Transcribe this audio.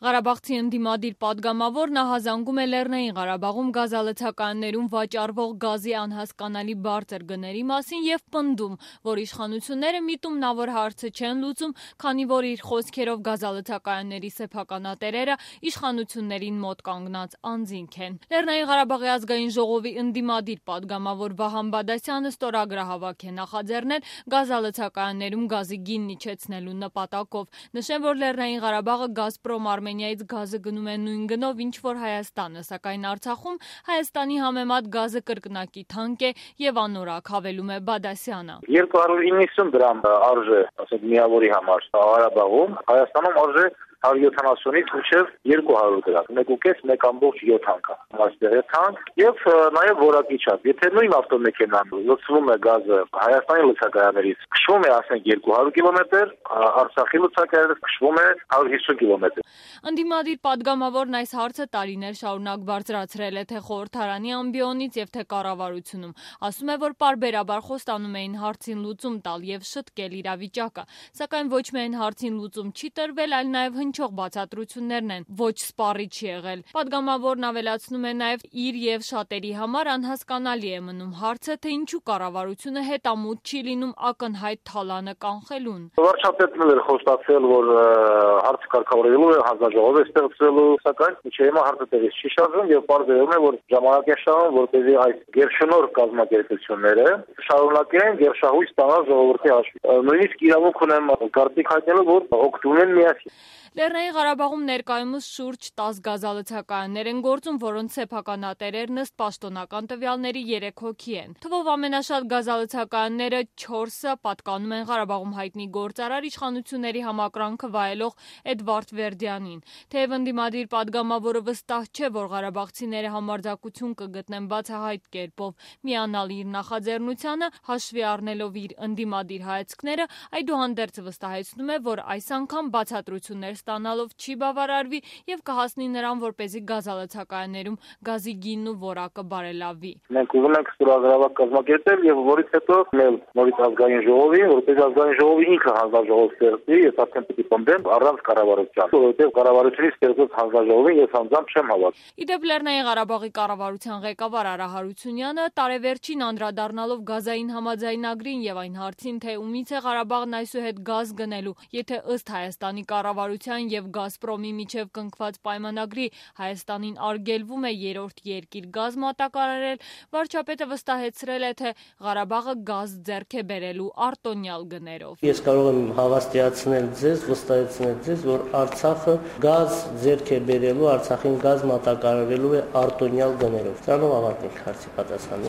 Ղարաբաղցի ընդդիմադիր պատգամավոր նախազանգում է Լեռնային Ղարաբաղում գազալցակայաններում վաճառվող գազի անհասկանալի բարձր գների մասին և պնդում, որ իշխանությունները միտումնավոր հարցը չեն լուծում, քանի որ իր խոսքերով գազալցակայանների սեփականատերերը իշխանություններին մոտ կանգնած անձինք են։ Լեռնային Ղարաբաղի ազգային ժողովի ընդդիմադիր պատգամավոր Վահան Բադասյանը ստորագրահավաք է նախաձեռնել գազալցակայաններում գազի գինն իջեցնելու նպատակով։ Նշեմ, որ Լեռնային Ղարաբաղը Գազպրոմ Արմենիայից գազը գնում է նույն գնով, ինչ որ Հայաստանը, սակայն Արցախում Հայաստանի համեմատ գազը կրկնակի թանկ է եւ անորակ, հավելում է Բադասյանը։ 290 դրամ արժե, ասենք միավորի համար Ղարաբաղում, Հայաստանում արժե 170-ից մինչև 200 դրամ, 1.5-1.7 անգամ, այստեղ է թանկ եւ նաեւ որակի չափ։ Եթե նույն ավտոմեքենան լցվում է գազը Հայաստանի լցակայաներից, քշվում է ասենք 200 կիլոմետր, Արցախի լցակայաներից քշվում է 150 կիլոմետր։ Ընդդիմադիր պատգամավորն այս հարցը տարիներ շարունակ բարձրացրել է թե խորհրդարանի ամբիոնից եւ թե կառավարությունում։ Ասում է, որ պարբերաբար խոստանում էին հարցին լուծում տալ եւ շտկել իրավիճակը, սակայն ոչ միայն հարցին լուծում չի տրվել, այլ նաեւ հնչող բացատրություններն են ոչ սպառիչ եղել։ Պատգամավորն ավելացնում է նաեւ իր եւ շատերի համար անհասկանալի է մնում հարցը, թե ինչու կառավարությունը հետամուտ չի լինում ակնհայտ թալանը կանխելուն։ Վարչապետն էլ խոստացել, որ հարցը կարգավորելու է, հանձնաժողով է ստեղծելու, սակայն մինչև հիմա հարցը տեղից չի շարժվում եւ պարզվում է, որ ժամանակ է շահում, որպեսզի այս գերշնորհ կազմակերպությունները շարունակեն գերշահույս ստանալ ժողովրդի հաշվին։ Նույնիսկ իրավունք ունեմ կարծիք հայտնելու, որ օգտվում են միասին։ Լեռնային Ղարաբաղում ներկայումս շուրջ 10 գազալցակայաններ են գործում, որոնց սեփականատերերն ըստ պաշտոնական տվյալների 3 հոգի են։ Թվով ամենաշատ գազալցակայանները 4-ը պատկանում են Ղարաբաղում հայտնի գործարար իշխանությունների համակրանքը վայելող Էդվարդ Վերդյանին։ Թեև ընդդիմադիր պատգամավորը վստահ չէ, որ ղարաբաղցիները համարձակություն կգտնեն բացահայտ կերպով միանալ իր նախաձեռնությանը, հաշվի առնելով իր ընդդիմադիր հայացքները, այդուհանդերձ վստահեցնում է, որ այս անգամ բացատրություններ ստանալով չի բավարարվի եւ կհասնի նրան, որպեսզի գազալցակայաններում գազի գինն ու որակը բարելավվի։ Մենք ուզում ենք ստորագրավակ կազմակերպել եւ որից հետո մել նորից ազգային ժողովի, որպես ազգային ժողովի ինքը հանձնաժողով ստեղծի, ես արդեն պիտի պնդեմ առանց կառավարության, որովհետեւ կառավարությունից ստեղծած հանձնաժողովին ես անձամբ չեմ հավատում։ Իդեպ Լեռնային Ղարաբաղի կառավարության ղեկավար Արա Հարությունյանը տարեվերջին անդրադառնալով գազային համաձայնագրին եւ այն հարցին, թե ումից է Ղարաբաղն այսուհետ գազ գնելու, եթե ըստ Հայաստանի կառավարության եւ Գազպրոմի միջև կնքված պայմանագրի Հայաստանին արգելվում է երրորդ երկիր գազ մատակարարել, վարչապետը վստահեցրել է, թե Ղարաբաղը գազ ձեռք է բերելու արտոնյալ գներով։ Ես կարող եմ հավաստիացնել ձեզ, վստահեցնել ձեզ, որ Արցախը գազ ձեռք է բերելու, Արցախին գազ մատակարարելու է արտոնյալ գներով։ Սրանով ավարտենք հարցի պատասխանը։